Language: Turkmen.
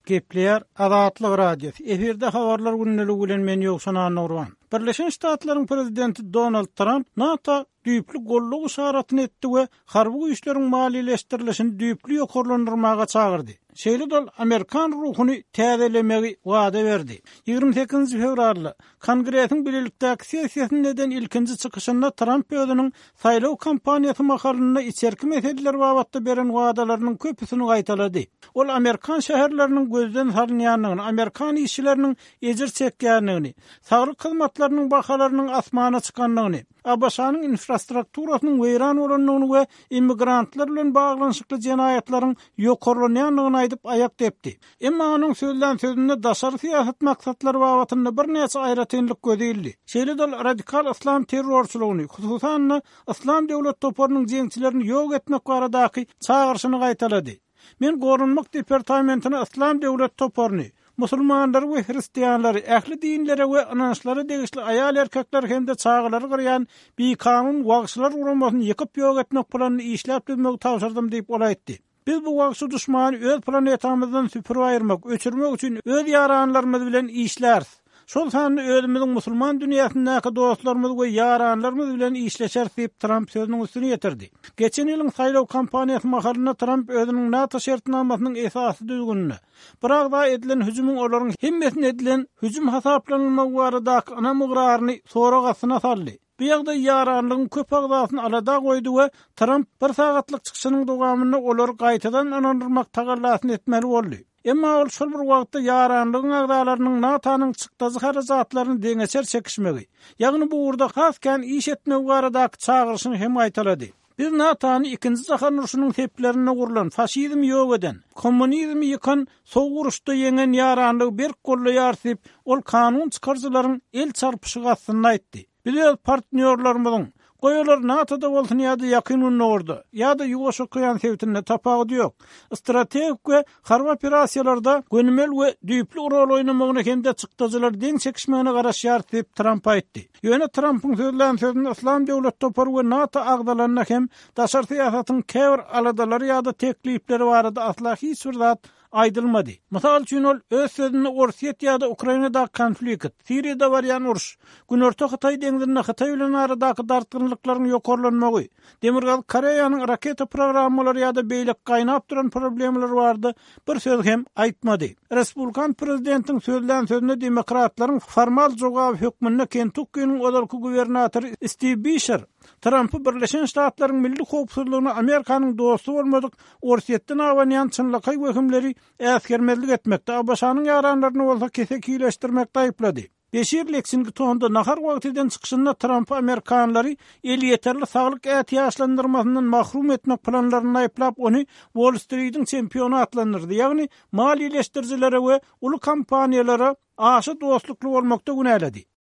Gepleýär Azatlyk Radiosy, efirde Habarlar gündeligi bilen men Ýowşan Annagurban. Birleşen Ştatlaryň Prezidenti Donald Tramp NATO düýpli goldaw yşaratyny etdi we harby güýçleriň maliýeleşdirilişini düýpli ýokarlandyrmaga çagyrdy. Şeýle-de ol amerikan ruhuny täzelemegi wada berdi. 28 fewralda Kongresiň bilelikdäki sessiýasynda eden ilkinji çykyşynda Tramp özüniň saýlaw kampaniýasy mahalynda içerki meseleler babatda beren wadalarynyň köpüsini gaýtalady. Ol amerikan şäherleriniň gözden salynýandygyny, amerikan işçileriniň ejir çekýändigini, saglyk hyzmatlarynyň bahalarynyň asmana çykandygyny, ABŞ-nyň infrastrukturasynyň weýran bolandygyny we immigrantlar bilen baglanyşykly jenaýatlaryň ýokarlanýandygyny aýdyp aýak depdi. Emma onuň sözlän sözünde daşary syýasat maksatlary babatynda birnäçe aýratynlyk göze ildi. Şeýle-de ol radikal yslam terrorçylygyny, hususan-da, Yslam döwlet toparynyň jeňçilerini ýok etmek baradaky çagyryşyny gaýtalady. Men Goranmak departamentine Yslam döwlet toparyny, musulmanlary we hristianlary, ähli dinlere we ynançlara degişli aýal-erkekleri hem-de çagalary gyrýan bikanun wagşylar guramasyny ýykyp ýok etmek planyny işläp düzmegi tabşyrdym diýip, ol aýtdy. Biz bu wagşy duşmany öz planetamyzdan süpürip aýyrmak, öçürmek üçin öz ýaranlarymyz bilen işläris. Şol sanda özümiziň musulman dünýäsindäki dostlarymyz we ýaranlarymyz bilen işleşeris diýip, Tramp sözüniň üstüni ýetirdi. Geçen ýylyň saýlaw kampaniýasy mahalynda Tramp özüniň NATO şertnamasynyň esasy düzgünine, bir agza edilen hüjümiň olaryň hemmesine edilen hüjüm hasaplanylmagy baradaky ynam-ygraryny sorag astyna saldy. Bu ýagdaý ýaranlygyň köp agzasyny alada goýdy we Tramp bir sagatlyk çykyşynyň dowamynda olary gaýtadan ynandyrmak tagallasyny etmeli boldy. Emma ol şol bir wagtda ýaranlygyň agzalarynyň NATO-nyň çykdajy-harajatlaryny deňeçer çekişmegi, ýagny bu ugurda has kän iş etmegi baradaky çagyryşyny hem gaýtalady. Biz NATO-ny Ikinji jahan urşunyň seplerinde gurlan, faşizmi ýok eden, kommunizmi ýykan, sowuk uruşda ýeňen ýaranlygy berk goldaýarys diýip, ol kanun çykaryjylaryň el çarpyşygy astynda aýtdy. Biz öz partnýorlarymyzyň, goý olar NATO-da bolsun ýa-da Ýakyn Gündogarda, ýa-da Ýuwaş okean sebitinde, tapawudy ýok, strategik we harby operasiýalarda gönümel we düýpli rol oýnamagyna hem-de çykdajylary deň çekişmegine garaşýarys diýip, Tramp aýtdy. Ýöne Trampyň sözlän sözünde Yslam döwlet topary we NATO agzalanda hem daşary syýasatyň käbir aladalary ýa-da teklipleri barada asla hiç bir zat aýdylmady. Mysal üçin, ol öz sözünde Orsýet ýa-da Ukrainadaky konflikt, Siriýada barýan uruş, Günorta Hytaý deňzinde Hytaý bilen aradaky dartgynlyklaryň ýokarlanmagy, Demirgazyk Koreýanyň raketa programmalary ýa-da beýleki gaýnap duran problemalar barada bir söz hem aýtmady. Respublikan prezidentiň sözlän sözüne demokratlaryň formal jogaby hökmünde Kentukkiniň ozalky gubernatory Stiw Bişer Trampy Birleşen Ştatlaryň milli howpsuzlygyna Amerikanyň dosty bolmadyk Orsýetden abanýan çynlakaý wehimleri äsgermezlik etmekde, ABŞ-nyň ýaranlaryny bolsa kesekileşdirmekde aýyplady. Beşir Leksingtonda nahar wagty eden çykyşynda Trampy amerikanlary elýeterli saglyk ätiýaçlandyrmasyndan mahrum etmek planlarynda aýyplap, ony Wall-Stridiň çempiony atlandyrdy, ýagny maliýeleşdirijilere we uly kompaniýalara aşa dostlukly bolmakda günäledi.